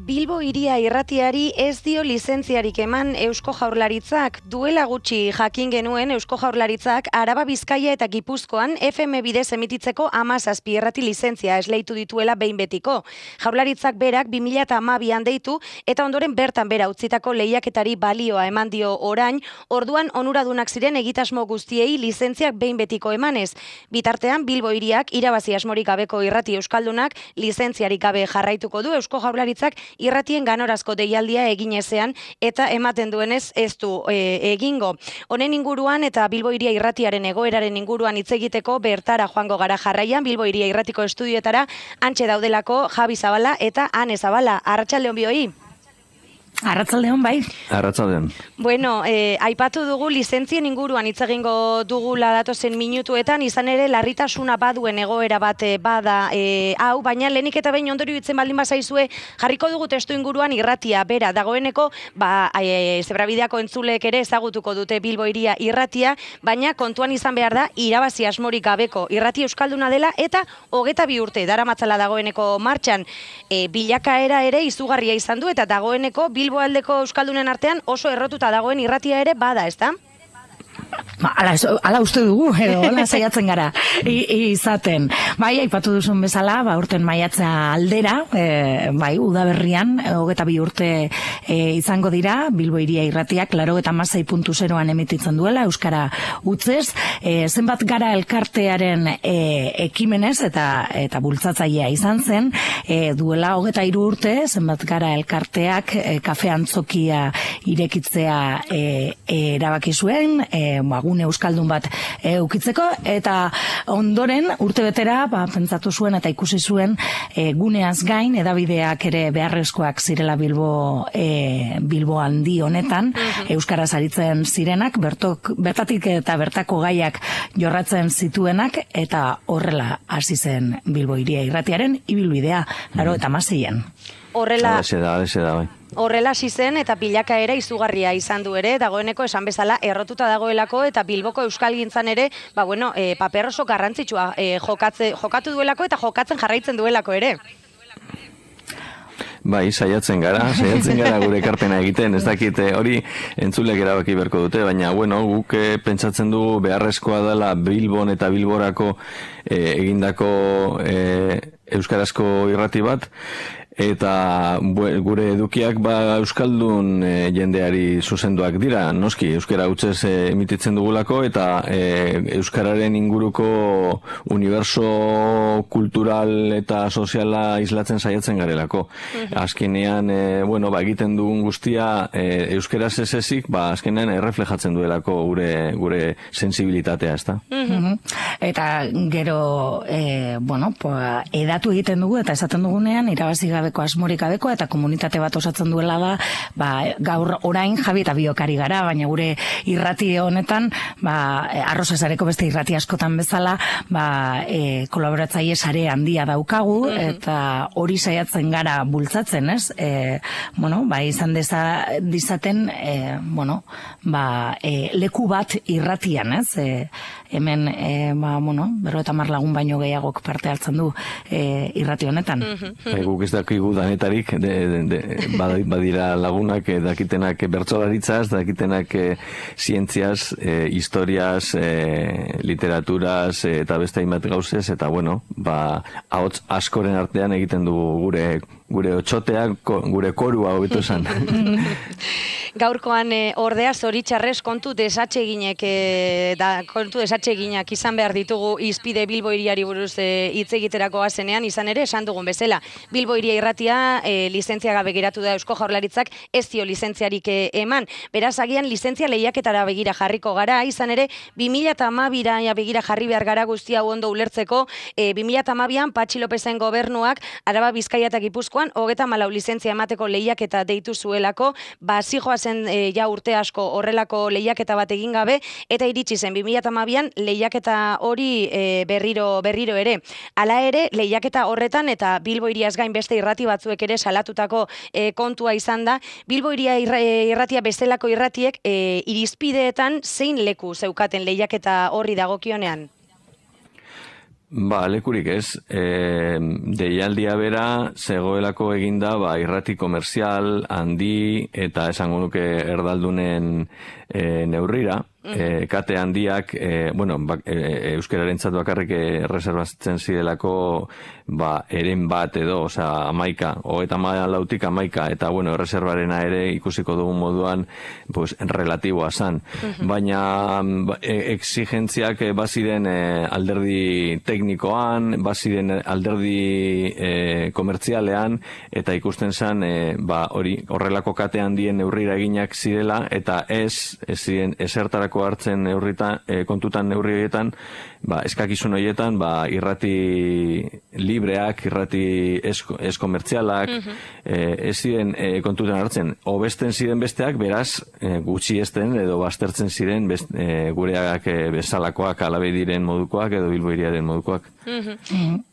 Bilbo Hiria irratiari ez dio lizentziarik eman Eusko Jaurlaritzak. Duela gutxi jakin genuen Eusko Jaurlaritzak Araba, Bizkaia eta Gipuzkoan FM bidez emititzeko 17 irrati lizentzia esleitu dituela behin betiko. Jaurlaritzak berak 2012an deitu eta ondoren bertan bera utzitako lehiaketari balioa eman dio orain, orduan onuradunak ziren egitasmo guztiei lizentziak behin betiko emanez. Bitartean Bilbo Hiriak irabazi asmorik gabeko irrati euskaldunak lizentziarik gabe jarraituko du. Eusko Jaurlaritzak irratien ganorazko deialdia egin ezean eta ematen duenez ez du egingo. Honen inguruan eta Bilbo Hiria irratiaren egoeraren inguruan hitz egiteko bertara joango gara jarraian Bilbo Hiria irratiko estudioetara antxe daudelako Javi Zabala eta Ane Zabala. Arratsaldeon bioi. Arratsaldeon bai. Arratsaldeon. Bueno, aipatu dugu lizentzien inguruan hitz egingo dugula datozen minutuetan, izan ere larritasuna baduen egoera bat bada hau, baina lehenik eta behin ondorio hitzen baldin bazaizue jarriko dugu testu inguruan irratia bera dagoeneko, Zebrabideako entzuleek ere ezagutuko dute Bilbo Hiria irratia, baina kontuan izan behar da irabazi asmorik gabeko irrati euskalduna dela eta 22 urte daramatzala dagoeneko martxan. Bilakaera ere izugarria izan du eta dagoeneko Bilbo aldeko euskaldunen artean oso errotuta dagoen irratia ere bada, ezta? Ala uste dugu, edo ala saiatzen gara izaten. Bai, aipatu duzun bezala, urten maiatza aldera, udaberrian, 22 urte izango dira, Bilbo Hiria irratiak 96.0an emititzen duela, euskara utzez, zenbat gara elkartearen ekimenez eta bultzatzailea izan zen, duela 23 urte, zenbat gara elkarteak kafe antzokia irekitzea erabaki zuen, gune euskaldun bat ukitzeko, eta ondoren urtebetera pentsatu zuen eta ikusi zuen guneaz gain edabideak ere beharrezkoak zirela Bilbo handi honetan, euskaraz aritzen zirenak, bertatik eta bertako gaiak jorratzen zituenak, eta horrela hasi zen Bilbo Hiria irratiaren ibilbidea, 96an. Horrela hasi zen eta bilakaera izugarria izan du ere, dagoeneko esan bezala errotuta dagoelako eta Bilboko euskalgintzan ere, paper oso garrantzitsua jokatu duelako eta jokatzen jarraitzen duelako ere. Bai, saiatzen gara gure ekarpena egiten, ez dakit hori entzulek erabaki beharko dute, baina guk pentsatzen dugu beharrezkoa dela Bilbon eta Bilborako egindako euskarazko irrati bat, eta gure edukiak euskaldun jendeari zuzenduak dira, noski, euskara hutsez emititzen dugulako, eta euskararen inguruko uniberso kultural eta soziala islatzen saiatzen garelako. Azkenean, egiten dugun guztia euskaraz ez ezik, azkenean erreflejatzen duelako gure sensibilitatea, ezta? Eta gero, edatu egiten dugu, eta esaten dugunean, irabazi gabeko, asmorik gabeko, eta komunitate bat osatzen duela da, gaur orain Javi eta biokari gara, baina gure irrati honetan, Arrozazareko beste irrati askotan bezala, kolaboratzaile sare handia daukagu, eta hori saiatzen gara bultzatzen, ez? Izan dizaten, leku bat irratian, ez? Hemen, 50 lagun baino gehiagok parte hartzen du irrati honetan. Guk ez dakigu danetarik, badira lagunak, dakitenak bertsolaritzaz, dakitenak zientziaz, historiaz, literaturaz, eta beste hainbat gauzez, eta ahots askoren artean egiten dugu gure otxotea, gure korua hobeto esan. Gaurkoan ordea zoritxarrez kontu desatseginak izan behar ditugu izpide Bilbo Hiriari buruz hitz egiterako azenean, izan ere esan dugun bezala. Bilbo Hiria irratia lizentzia gabe geratu da Eusko Jaurlaritzak ez dio lizentziarik eman. Beraz, agian lizentzia lehiaketara begira jarriko gara, izan ere 2012ra begira jarri behar gara guztia ondo ulertzeko. 2012an Patxi Lopezen gobernuak Araba, Bizkaia eta Gipuzkoan 34 lizentzia emateko lehiaketa deitu zuelako, zijoa zen urte asko horrelako lehiaketa bat egin gabe, eta iritsi zen 2012an lehiaketa hori berriro ere. Hala ere, lehiaketa horretan eta Bilbo Hiriaz gain beste irrati batzuek ere salatutako kontua izan da, Bilbo Hiria irratia bestelako irratiek irizpideetan zein leku zeukaten lehiaketa horri dagokionean? Lekurik ez. Deialdia bera zegoelako eginda irrati komerzial handi eta esango nuke erdaldunen neurrira. Kate handiak, euskararentzat bakarrik erreserbatzen zidelako eren bat edo, osea, 11, 14 eta erreserbarena ere ikusiko dugun moduan relatiboa zan. Baina exigentziak baziren alderdi teknikoan, baziren alderdi komertzialean, eta ikusten zan horrelako kate handien neurrira eginak zirela, eta ez ziren esertarako hartzen kontutan neurri horietan, eskakizun horietan, irrati libreak, irrati ez komertzialak, ez ziren kontutan hartzen. Obesten ziren besteak, beraz, gutxi esten edo baztertzen ziren gureak bezalakoak, alabe diren modukoak edo Bilbo hiriaren modukoak.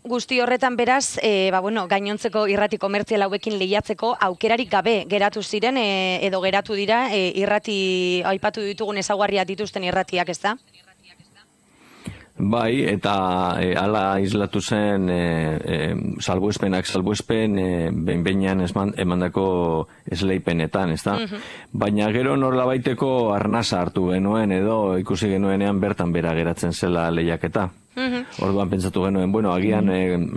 Guzti horretan beraz, gainontzeko irrati komertzial hauekin lehiatzeko aukerarik gabe geratu ziren edo geratu dira irrati aipatu ditugun ezaugarriak dituzten irratiak, ez da? Bai, eta hala islatu zen salbuespen behin-behinean emandako esleipenetan, ez da? Baina gero norlabaiteko arnasa hartu genuen edo ikusi genuenean bertan bera geratzen zela lehiaketa. Orduan pentsatu genuen, agian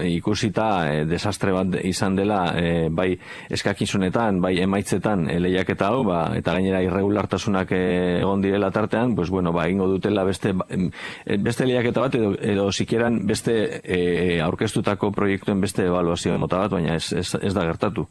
ikusita desastre bat izan dela bai eskakizunetan, bai emaitzetan lehiaketa hau, eta gainera irregulartasunak egon direla tartean, ingo dutela beste lehiaketa bat edo sikieran beste aurkeztutako proiektuen beste ebaluazio mota bat, baina ez da gertatu.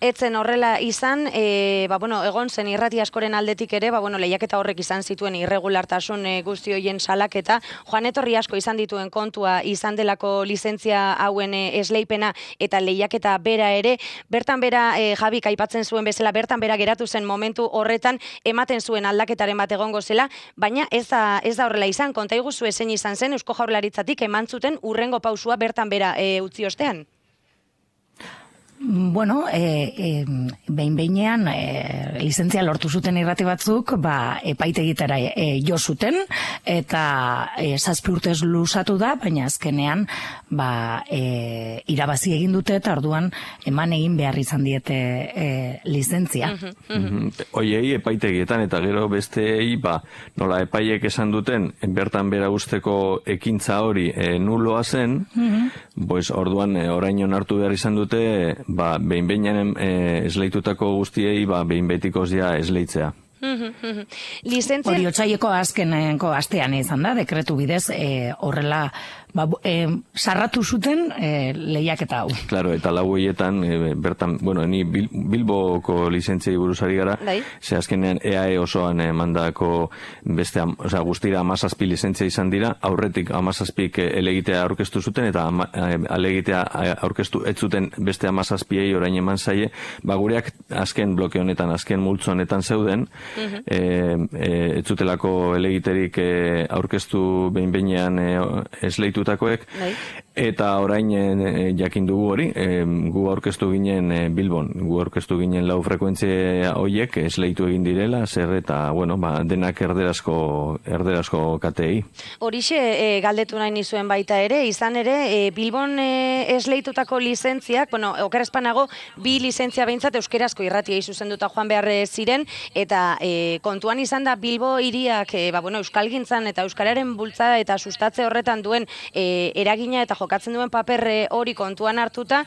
Etzen horrela izan, egon zen irrati askoren aldetik ere, lehiaketa horrek izan zituen irregulartasun guzti hoien salaketa, joan etorri asko izan dituen kontua izan delako lizentzia hauen esleipena eta lehiaketa bera ere, bertan bera Jabik aipatzen zuen bezala, bertan bera geratu zen momentu horretan ematen zuen aldaketaren bat egongo zela, baina ez da horrela izan, konta iguzu zein izan zen Eusko Jaurlaritzatik eman zuten urrengo pausua bertan bera utzi ostean? Behin-behinean lizentzia lortu zuten irrati batzuk, epaitegitara jo zuten, eta 7 urtez luzatu da, baina azkenean irabazi egin dute, eta orduan eman egin behar izan diete lizentzia. Hoiei epaitegietan, eta gero besteei, nola epaiek esan duten, bertan bera usteko ekintza hori nuloa zen, orduan orain onartu behar izan dute, behin-behinean esleitutako guztiei, behin-betikoz esleitzea. Hori otsaieko azkeneko astean izan da, dekretu bidez horrela sarratu zuten lehiaketa hau. Claro, eta lau horietan, bertan, ni Bilboko lizentziai buruzari gara, ze azkenean EAE osoan mandako beste, guztira 17 lizentzia izan dira, aurretik 17 elegitea aurkeztu zuten, eta alegitea aurkeztu ez zuten beste 17ei orain eman zaie, gureak azken bloke honetan, azken multzo honetan zeuden, ez zutelako elegiterik aurkeztu behin-behinean esleitutakoek, eta orain jakin dugu hori, gu aurkeztu ginen Bilbon, gu aurkeztu ginen 4 frekuentzia hoiek esleitu egin direla, zer eta, denak erderazko katei. Horixe galdetu nahi nizuen baita ere, izan ere, Bilbon esleitutako lizentziak, okerrezpanago, 2 lizentzia behintzat euskerazko irratia zuzenduta joan behar ziren, eta kontuan izan da Bilbo hiriak euskalgintzan eta euskararen bultzada eta sustatze horretan duen eragina eta jokatzen duen paper hori kontuan hartuta,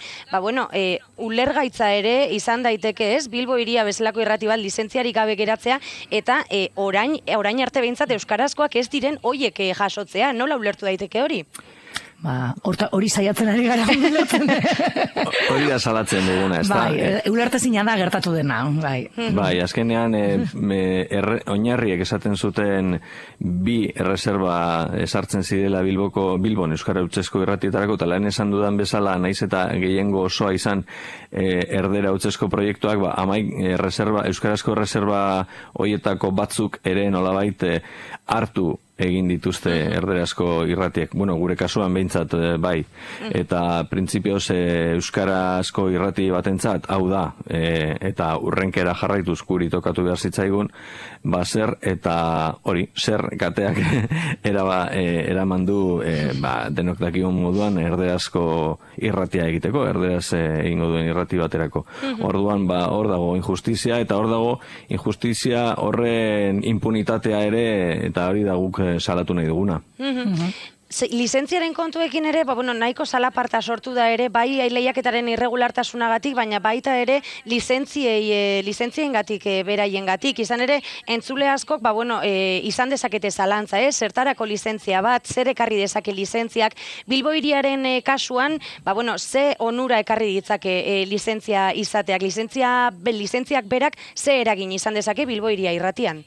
ulergaitza ere izan daiteke ez, Bilbo hiria bezalako irrati bat lizentziarik gabe geratzea, eta orain arte behintzat euskarazkoak ez diren hoiek jasotzea, nola ulertu daiteke hori? Hori saiatzen ari gara ulertzen. Hori da salatzen duguna, ez da? Ulertezina da gertatu dena, bai. Azkenean oinarriek esaten zuten 2 erreserba esartzen zirela Bilbon Euskara Hutsezko irratietarako, eta lehen esan dudan bezala, naiz eta gehiengo osoa izan erdera Hutsezko proiektuak, euskarazko erreserba horietako batzuk ere nolabait hartu egin dituzte erderazko irratiek, bueno, gure kasuan behintzat bai, eta printzipioz euskarazko irrati batentzat, hau da, eta urrenkera jarraituz guri tokatu behar zitzaigun, zer eta hori, zer gateak eraman du denok dakigun moduan erderazko irratia egiteko, erderaz egingo duen irrati baterako. Orduan, hor dago injustizia, eta hor dago injustizia horren impunitatea ere, eta hori da guk salatu nahi duguna. Lizentziaren kontuekin ere, nahiko salaparta sortu da ere, bai lehiaketaren irregulartasunagatik, baina baita ere lizentzien-gatik, beraien-gatik. Izan ere, entzule askok, izan dezakete zalantza, zertarako lizentzia bat, zer ekarri dezake lizentziak. Bilbo hiriaren kasuan, ze onura ekarri ditzake lizentzia izateak. Lizentziak berak ze eragin izan dezake Bilbo hiria irratian?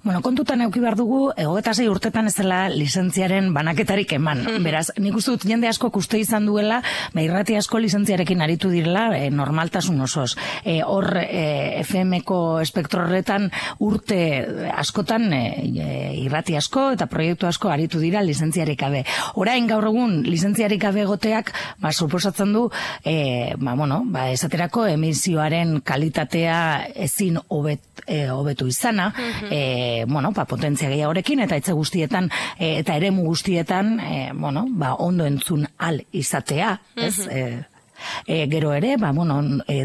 Kontutan eduki behar dugu, 26 urtetan ez dela lizentziaren banaketarik eman. Beraz, nik uste dut jende asko uste izan duela, irrati asko lizentziarekin aritu direla normaltasun osoz. Hor, FM-ko espektro horretan urte askotan irrati asko eta proiektu asko aritu dira lizentziarik gabe. Orain gaur egun lizentziarik gabe egoteak, suposatzen du, esaterako emisioaren kalitatea ezin hobetu izana, potentzia gehiagorekin eta etxe guztietan eta eremu guztietan ondo entzun al izatea, ez? Gero ere,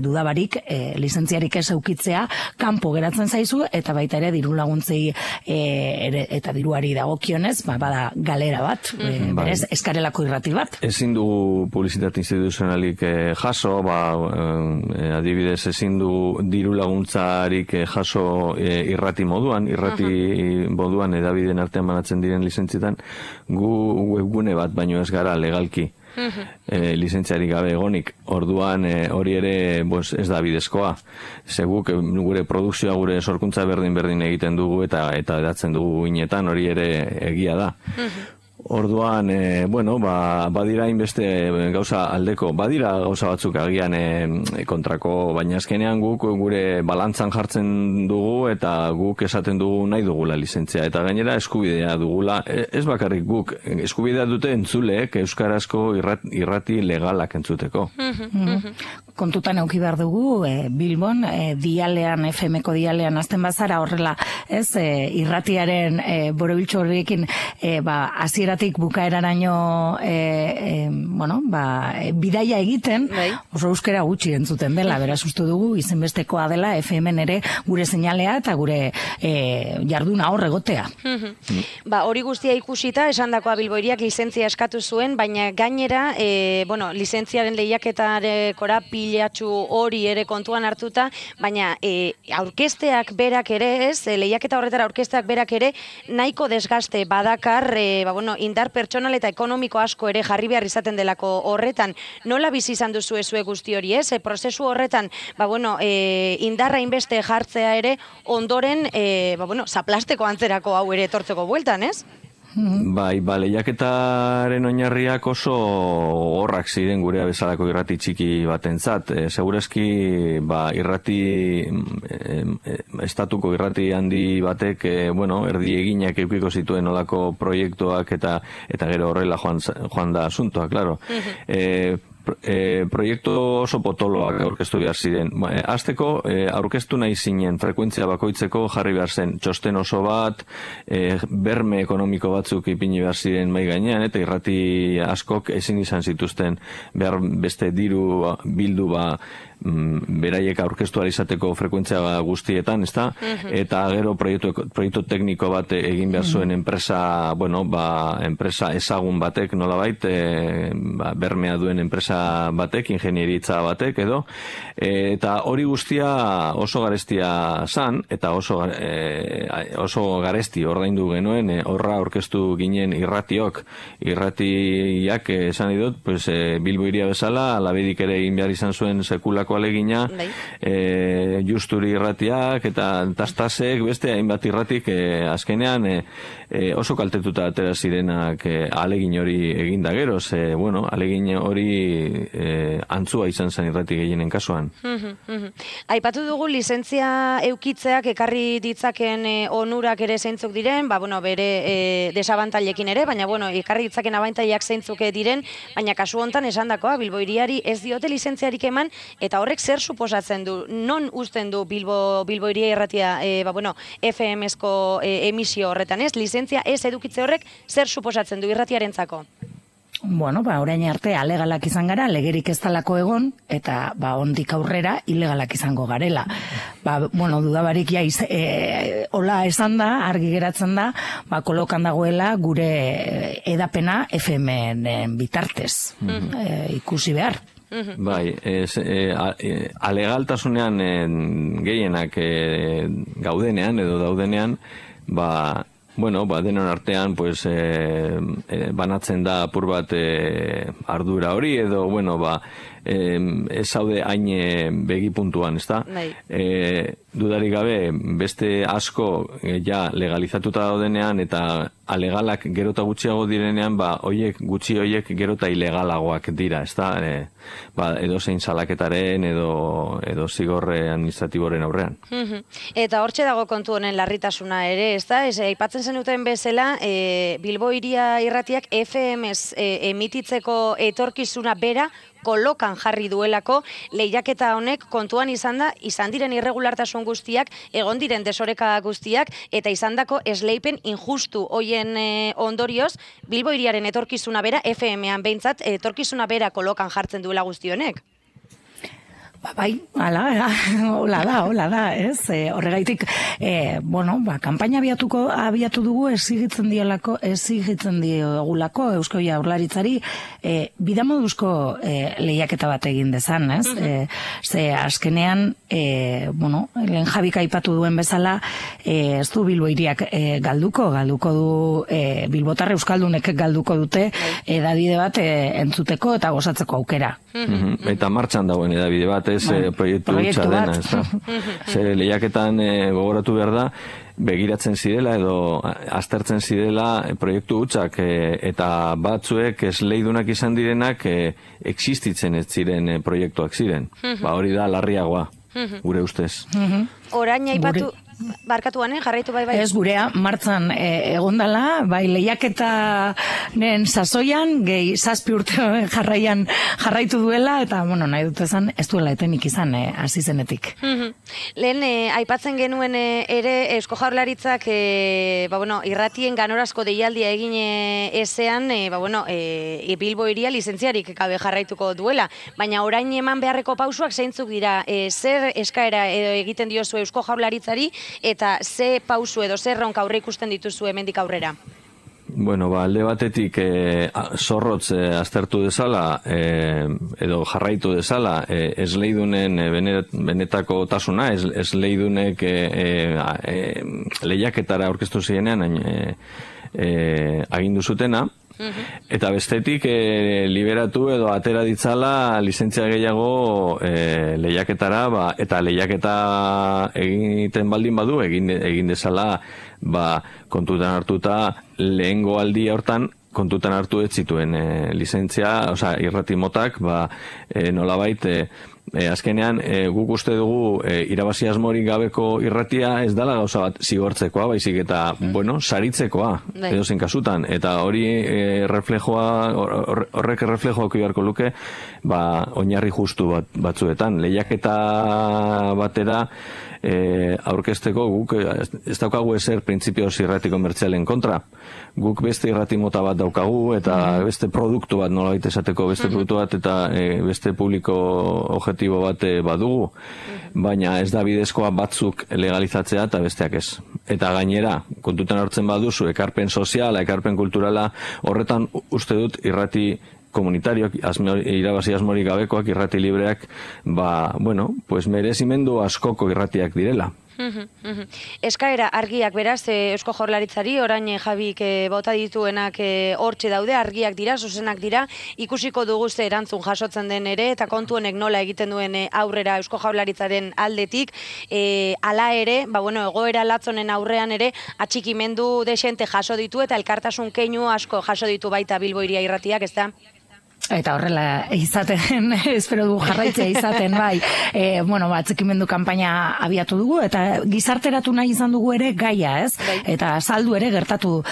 dudabarik lizentziarik ez eukitzea kanpo geratzen zaizu eta baita ere diru laguntzei eta diruari dagokionez, bada galera bat, berez eskarelako irrati bat. Ezin du publizitate instituzionalik jaso, adibidez ezin du diru laguntzarik jaso irrati moduan edabideen artean banatzen diren lizentzietan, gu webgune bat baino ez gara legalki lizentziarik gabe egonik. Orduan hori ere ez da bidezkoa. Seguk gure produkzioa, gure sorkuntza berdin egiten dugu eta edatzen dugu inetan, hori ere egia da. Orduan, badira inbeste gauza aldeko, badira gauza batzuk agian kontrako, baina azkenean guk gure balantzan jartzen dugu eta guk esaten dugu nahi dugula lizentzia. Eta gainera eskubidea dugula, ez bakarrik guk, eskubidea dute entzuleek euskarazko irrati legalak entzuteko. Kontutan eduki behar dugu, Bilbon, dialean, FM-ko dialean azten bazara horrela, ez, irratiaren borobiltxo horrekin, hasieratik bukaeraraino bidaia egiten, oso euskera gutxi entzuten dela, beraz uste dugu izenbestekoa dela FM-en ere gure seinalea eta gure jarduna hor egotea. Hori guztia ikusita, esandakoa Bilbo hiriak lizentzia eskatu zuen, baina gainera, lizentziaren lehiaketarekora pilatxu hori ere kontuan hartuta, baina aurkezteak berak ere ez, lehiaketa horretara aurkezteak berak ere, nahiko desgaste badakar, indar pertsonal eta ekonomiko asko ere jarri behar izaten delako horretan. Nola bizi izan duzu ezue guzti hori, ez? Prozesu horretan, indarra inbeste jartzea ere, ondoren, zaplasteko antzerako hau ere etortzeko bueltan, ez? Lehiaketaren oinarriak oso horrak ziren gurea bezalako irrati txiki batentzat. Segurazki, estatuko irrati handi batek, erdi eginak eukiko zituen olako proiektuak eta gero horrela joan da asuntoa, klaro. Proiektu oso potoloak aurkeztu behar ziren. Azteko, aurkeztu nahi zinen frekuentzia bakoitzeko jarri behar zen txosten oso bat, berme ekonomiko batzuk ipini behar ziren mai gainean, eta irrati askok ezin izan zituzten behar beste diru bildu beraiek aurkeztu izateko frekuentzia guztietan, ezta? Eta gero proiektu tekniko bat egin behar zuen enpresa, enpresa ezagun batek, nolabait, bermea duen enpresa batek, ingenieritza batek edo, eta hori guztia oso garestia zan, eta oso garesti ordaindu genuen, horra aurkeztu ginen irratiak esan idut, Bilbo hiria bezala, Labedik ere egin behar izan zuen sekulako alegina, Justuri irratiak eta Tastasek, beste hainbat irratik azkenean oso kaltetuta atera zirenak alegin hori eginda gero, alegin hori antzua izan zen irrati gehienen kasuan. Aipatu dugu lizentzia eukitzeak ekarri ditzaken onurak ere zeintzuk diren, bere desabantailekin ere, baina ekarri ditzaken abantailak zeintzuk diren, baina kasu hontan esandakoa Bilbo Hiriari ez diote lizentziarik eman, eta horrek zer suposatzen du? Non uzten du Bilbo Hiria irratia FM-esko emisio horretan, ez? Lizentzia ez edukitze horrek zer suposatzen du irratiarentzako? Orain arte alegalak izan gara, legerik ez talako egon, eta ondik aurrera ilegalak izango garela. Dudabarik hola esan da, argi geratzen da, kolokan dagoela gure edapena FM-en bitartez. Ikusi behar. Bai, alegaltasunean gehienak gaudenean edo daudenean, denon artean, banatzen da apur bat ardura hori, edo, ez zaude hain begipuntuan, ez da? Dudarik gabe, beste asko legalizatuta daudenean, eta alegalak gerota gutxiago direnean, gutxi hoiek gerota ilegalagoak dira, ez da? Edo zein salaketaren, edo zigorre administratiboren aurrean. Eta hortxe dago kontu honen larritasuna ere, ez da? Aipatzen zenuten bezala, Bilbo Hiria irratiak FM-ez emititzeko etorkizuna bera kolokan jarri duelako, lehiaketa honek kontuan izan diren irregulartasun guztiak, egon diren desoreka guztiak, eta izandako esleipen injustu hoien ondorioz, Bilbo Hiriaren etorkizuna bera, FM-an behintzat, etorkizuna bera kolokan jartzen duela guzti honek. Hola da, ez? Horregaitik, kanpaina abiatu dugu exigitzen diogulako Eusko Jaurlaritzari bidamoduzko lehiaketa bat egin dezan, ez? Ze azkenean, lehen Jabik aipatu duen bezala, ez du Bilbo Hiriak galduko du Bilbotar Euskaldunek galduko dute edabide bat entzuteko eta gozatzeko aukera. Eta martxan dagoen edabide bat, proiektu hutsa dena, ez da? Lehiaketan gogoratu behar da, begiratzen zirela edo aztertzen zirela proiektu hutsak eta batzuek esleidunak izan direnak existitzen ez ziren proiektuak ziren. Hori da larriagoa, gure ustez. Orain aipatu... Barkatuan, jarraitu bai. Ez gurea, martzan egondala, lehiaketaren sasoian, gehi 7 urte jarraitu duela, eta, nahi dut ezan, ez duela etenik izan, hasi zenetik. Lehen, aipatzen genuen ere, Eusko Jaurlaritzak, irratien ganorazko deialdia egin ezean, Bilbo Hiria lizentziarik gabe jarraituko duela, baina orain eman beharreko pausuak zeintzuk dira, zer eskaera egiten diozu Eusko Jaurlaritzari, eta ze pausu edo zer ronka aurre ikusten dituzu hemendik aurrera? Alde batetik zorrotz aztertu dezala edo jarraitu dezala esleidunen benetako tasuna, esleidunek lehiaketara aurkeztu zirenean agindu zutena, eta bestetik liberatu edo atera ditzala lizentzia gehiago lehiaketara, eta lehiaketa egiten baldin badu, egin dezala kontutan hartuta lehengo aldia hortan kontutan hartu ez zituen lizentzia, irrati motak, nolabait azkenean guk uste dugu irabazi asmorik gabeko irratia ez dela gauza bat zigortzekoa, baizik eta, saritzekoa, edozein kasutan, eta horrek reflejoa beharko luke, oinarri justu batzuetan. Lehiaketa batera aurkezteko guk ez daukagu ezer printzipioz irrati komertzialen kontra. Guk beste irrati mota bat daukagu, eta beste produktu bat, nolabait esateko beste produktu bat, eta beste publiko objektibo bat badugu, baina ez da bidezkoa batzuk legalizatzea eta besteak ez. Eta gainera, kontutan hartzen baduzu, ekarpen soziala, ekarpen kulturala, horretan uste dut irrati komunitarioak, irabazi asmorik gabekoak, irrati libreak, merezimendu askoko irratiak direla. Eskaera argiak beraz, Eusko Jaurlaritzari, orain Jabik bota dituenak hortxe daude, argiak dira, zuzenak dira, ikusiko dugu ze erantzun jasotzen den ere, eta kontu honek nola egiten duen aurrera Eusko Jaurlaritzaren aldetik, hala ere, egoera latzonen aurrean ere, atxikimendu desente jaso ditu, eta elkartasun keinu asko jaso ditu baita Bilbo Hiria irratiak, ez da? Eta horrela izaten, espero dugu jarraitzea izaten, bai, atxikimendu kanpaina abiatu dugu, eta gizarteratu nahi izan dugu ere gaia, ez? Eta saldu ere gertatu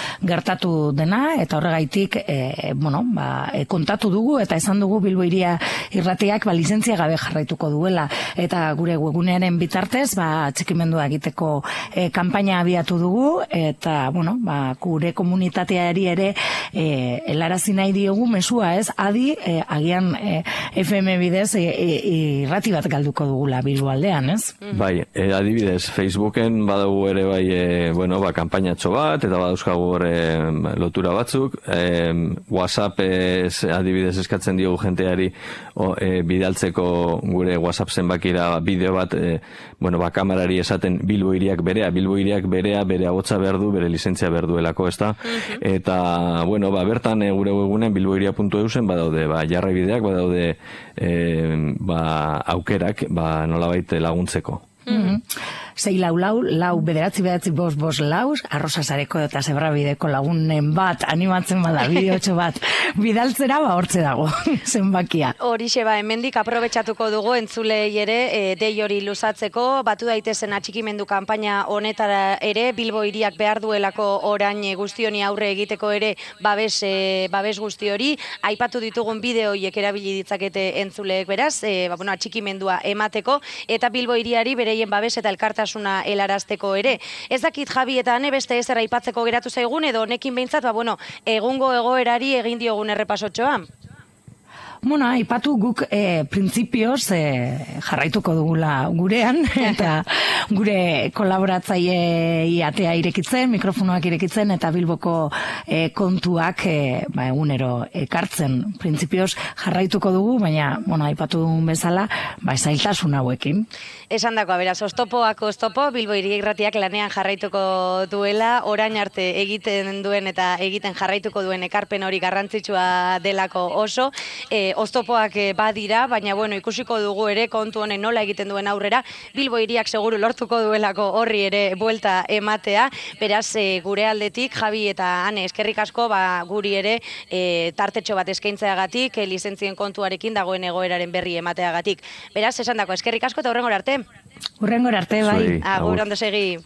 dena, eta horregaitik, kontatu dugu, eta esan dugu Bilbo Hiria Irratiak lizentzia gabe jarraituko duela, eta gure webgunearen bitartez, atxikimendua egiteko kanpaina abiatu dugu, eta, gure komunitateari ere helarazi nahi diogu mesua, ez? Agian FM bidez irrati bat galduko dugula Bilbo aldean, ez? Bai, adibidez, Facebooken badago ere bai, kanpainatxo bat, eta badauzkagu lotura batzuk, WhatsApp adibidez eskatzen diogu jenteari bidaltzeko gure WhatsApp zenbakira bideo bat, kamerari esaten Bilbo Hiriak berea, bere agotza behar du, bere lizentzia behar duelako, ez da? Eta, bertan gure webgunean bilbohiria.eusen badaude jarraibideak, badaude aukerak nolabait laguntzeko. 644-4 arrosasareko eta zebrabideko lagunen bat animatzen bada bideotxo bat bidaltzera hortze dago zenbakia. Horixe hemendik aprobetxatuko dugu entzulei ere dei hori luzatzeko, batu daitezen atxikimendu kanpaina honetara ere Bilbo Hiriak behar duelako orain guzti honi aurre egiteko ere babes guzti hori, aipatu ditugun bideoiek erabili ditzakete entzuleek beraz, atxikimendua emateko eta Bilbo Hiriari bereien babes eta elkartasuna helarazteko ere. Ez dakit Javi eta Ane beste ezer aipatzeko geratu zaigun edo honekin behintzat, egungo egoerari egin diogun errepasotxoa. Aipatu guk printzipioz jarraituko dugula gurean, eta gure kolaboratzaile atea irekitzen, mikrofonoak irekitzen, eta Bilboko kontuak egunero ekartzen. Printzipioz jarraituko dugu, baina, aipatu dugun bezala, zailtasun hauekin. Esan dakoa, beraz, oztopoak oztopo, Bilbo Hiria Irratiak lanean jarraituko duela, orain arte egiten duen eta egiten jarraituko duen ekarpen hori garrantzitsua delako oso, oztopoak badira, baina ikusiko dugu ere kontu honen nola egiten duen aurrera, Bilbo Hiriak seguru lortuko duelako horri ere buelta ematea, beraz gure aldetik Javi eta Ane eskerrik asko guri ere tartetxo bat eskaintzeagatik, lizentzien kontuarekin dagoen egoeraren berri emateagatik. Beraz, esan dako eskerrik asko eta hurrengora arte. Hurrengora arte, bai. Agur, ondo segi.